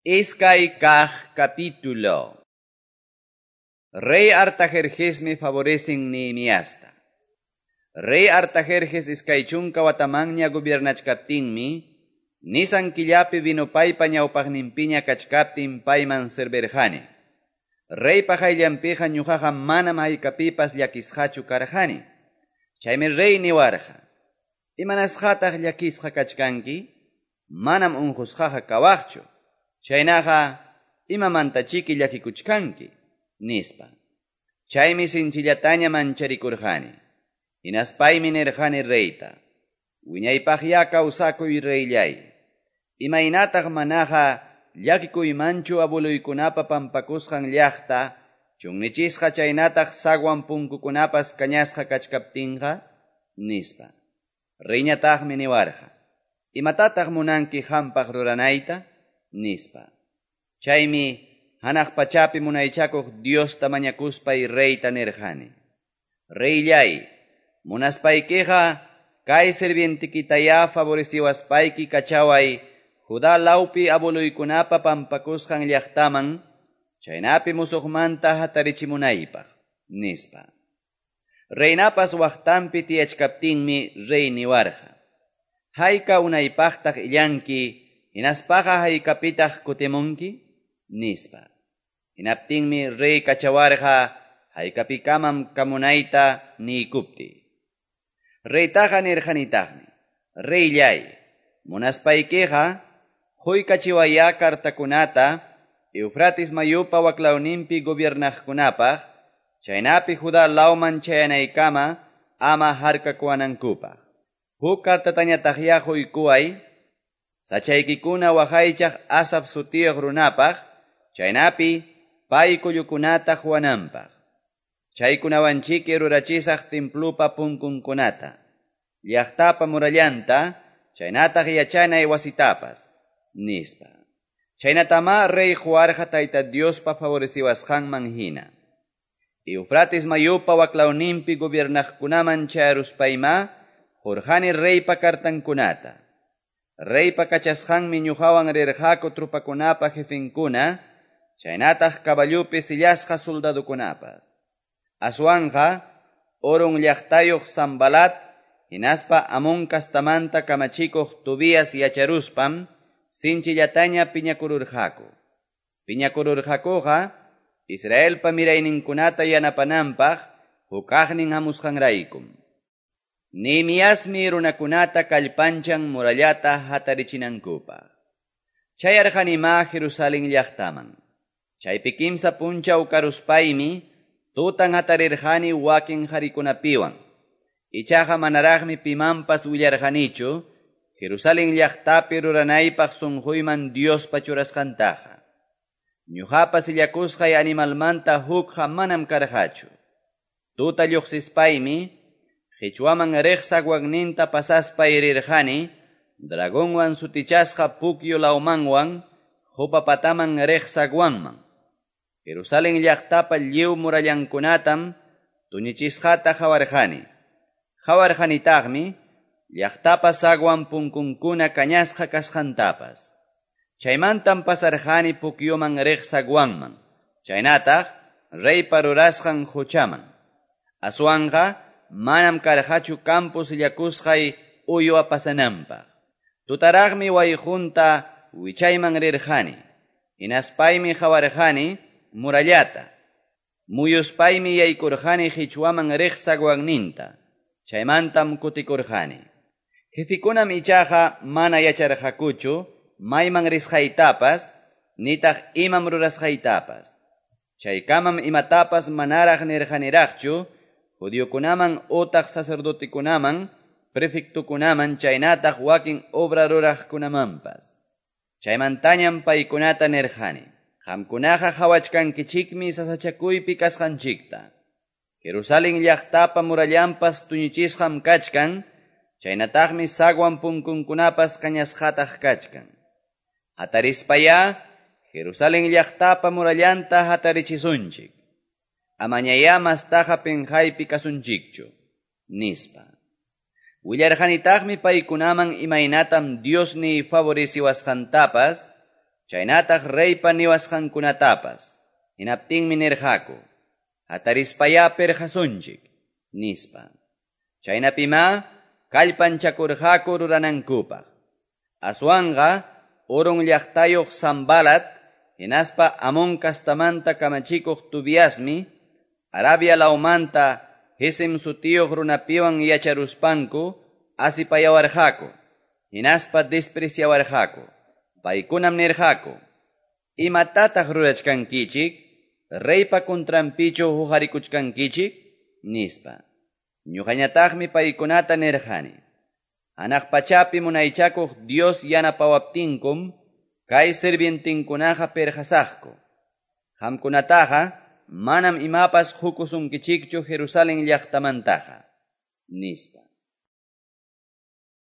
Iskay kaq capítulo. Rey Artajerjesmi favorecen Nehemiasta. Rey Artajerjes iskay chunka watamanña gobiernachkaptinmi, Nisan killapi vinopaypa ñawpaqninpiña kachkaptin payman servirqani. Reypa qayllanpiqa ñuqaqa manam haykapipas llakisqachu karqani. Chaymi rey niwarqa: Imanasqataq llakisqa kachkanki? Manam unqusqaqa kawaqchu. Chaynaqa imamantachiki llakikuchkanki, nispa. Chaymi sinchillataña mancharikurqani. Hinaspaymi nirqani reyta: Wiñaypaqya kawsakuy reyllay. Imaynataq manaqa llakikuymanchu abueluykunapa pampakusqan llaqta, chunnichisqa chaynataq zaguan punkukunapas kañasqa kachkaptinqa, nispa. Reyñataqmi niwarqa: Imatataq munanki qampaq ruranayta? Nispa. Chaymi hanaq pachapi munaychakuq Diosta mañakuspay reyta nirqani: Reyllay, munaspaykiqa kay sirvientikitayá favoreciwaspayki kachaway Judá lawpi abueluykunapa pampakusqan llaqtaman, chaynapi musuqmanta hatarichimunaypaq, nispa. Reynapas waqtanpi tiyachkaptinmi rey niwarqa: Hayka unaypaqtaq illanki, hinaspaqa haykapitaq kutimunki, nispa. Hinaptinmi rey kachawarqa haykapikamam kamunayta niykuptiy. Reytaqa nirqanitaqmi: Reyllay, munaspaykiqa quykachiwayá kartakunata Eufrates mayupa waklawninpi gobiernaqkunapaq, chaynapi Judá lawman chayanaykama ama harkakuwanankupaq. Huk kartatañataqyá quykuway sachaykikuna waqaychaq Asaf sutiyuq runapaq, chaynapi pay kullukunata quwananpaq. Chaykunawanchiki rurachisaq templupa punkunkunata, llaqtapa murallanta, chaynataq yachanay wasitapas, nispa. Chaynatamá rey quwarqa Tayta Diospa favoreciwasqanman hina. Eufrates mayupa waklawninpi gobiernaqkunaman chayaruspayma qurqani reypa kartankunata. Reypa kachasqanmi ñuqawan rirqaku tropakunapa jefenkuna, chaynataq caballupi sillasqa soldadukunapas. Aswanqa Horon llaqtayuq Sanbalat hinaspa Amón kastamanta kamachikuq Tobías yacharuspam sinchillataña piñakururqaku. Piñakururqakuqa Israelpa mirayninkunata yanapananpaq hukaqnin hamusqanraykum. Nehemiasmi runakunata kallpanchan murallata hatarichinankupaq. Chayarqanimá Jerusalén llaqtaman. Chaypi kimsa punchaw karuspaymi tutan hatarirqani wakin qarikunapiwan. Ichaqa manaraqmi pimanpas willarqanichu Jerusalén llaqtapi ruranaypaq sunquyman Diospa churasqantaqa. Ñuqapa sillakusqay animalmanta hukqa manam karqachu. Tuta lluqsispaymi qichwaman riq zaguanninta pasaspay rirqani, dragonwan sutichasqa pukyu lawmanwan qupa pataman riq zaguanman. Jerusalén llaqtapa lliw murallankunatam tuñichisqata qawarqani. Qawarqanitaqmi llaqtapa zaguan punkunkuna kañasqa kasqantapas. Chaymantam pasarqani pukyuman riq zaguanman, chaynataq reypa rurasqan quchaman. Aswanqa manam karqachu campo sillakusqay uywa pasananpaq. Tutaraqmi wayqunta wichayman rirqani. Hinaspaymi qawarqani murallata. Muyuspaymi yaykurqani qichwaman riq zaguanninta. Chaymantam kutikurqani. Jefikunam ichaqa mana yacharqakuchu mayman risqaytapas, nitaq imam rurasqaytapas. Chaykamam imatapas manaraq nirqaniraqchu judiokunaman utaq sacerdotekunaman, prefectokunaman chaynataq wakin obra ruraqkunamanpas. Chaymantañam paykunata nirqani: Qamkunaqa qawachkankichikmi sasachakuypi kasqanchikta. Jerusalén llaqtapa murallanpas tuñichisqam kachkan, chaynataqmi zaguan punkunkunapas kañasqataq kachkan. Hatarispayá Jerusalén llaqtapa murallanta hatarichisunchik. Amañayá mastaqa pinqaypi kasunchikchu, nispa. Willarqanitaqmi paykunaman imaynatam Diosniy favoreciwasqantapas, chaynataq reypa niwasqankunatapas. Hinaptinmi nirqaku, Hatarispayá perqasunchik, nispa. Chaynapimá kallpanchakurqaku ruranankupaq. Aswanqa Horon llaqtayuq Sanbalat hinaspa Amon castamanta kamachikuq Tobiasmi Arabia lawmanta Gesem sutiyuq runapiwan yacharuspanku asipayawarqaku hinaspa despreciawarqaku. Paykunam nirqaku: Imatataq rurachkankichik? Reypa contranpichu huqarikuchkankichik? Nispa. Ñuqañataqmi paykunata nirqani: Hanaq pachapi munaychakuq Dios yanapawaptinkum kay sirvientinkunaqa perqasaqku. Qamkunataqa manam imapas qukusunkichikchu Jerusalén llaqtamantaqa, nispa.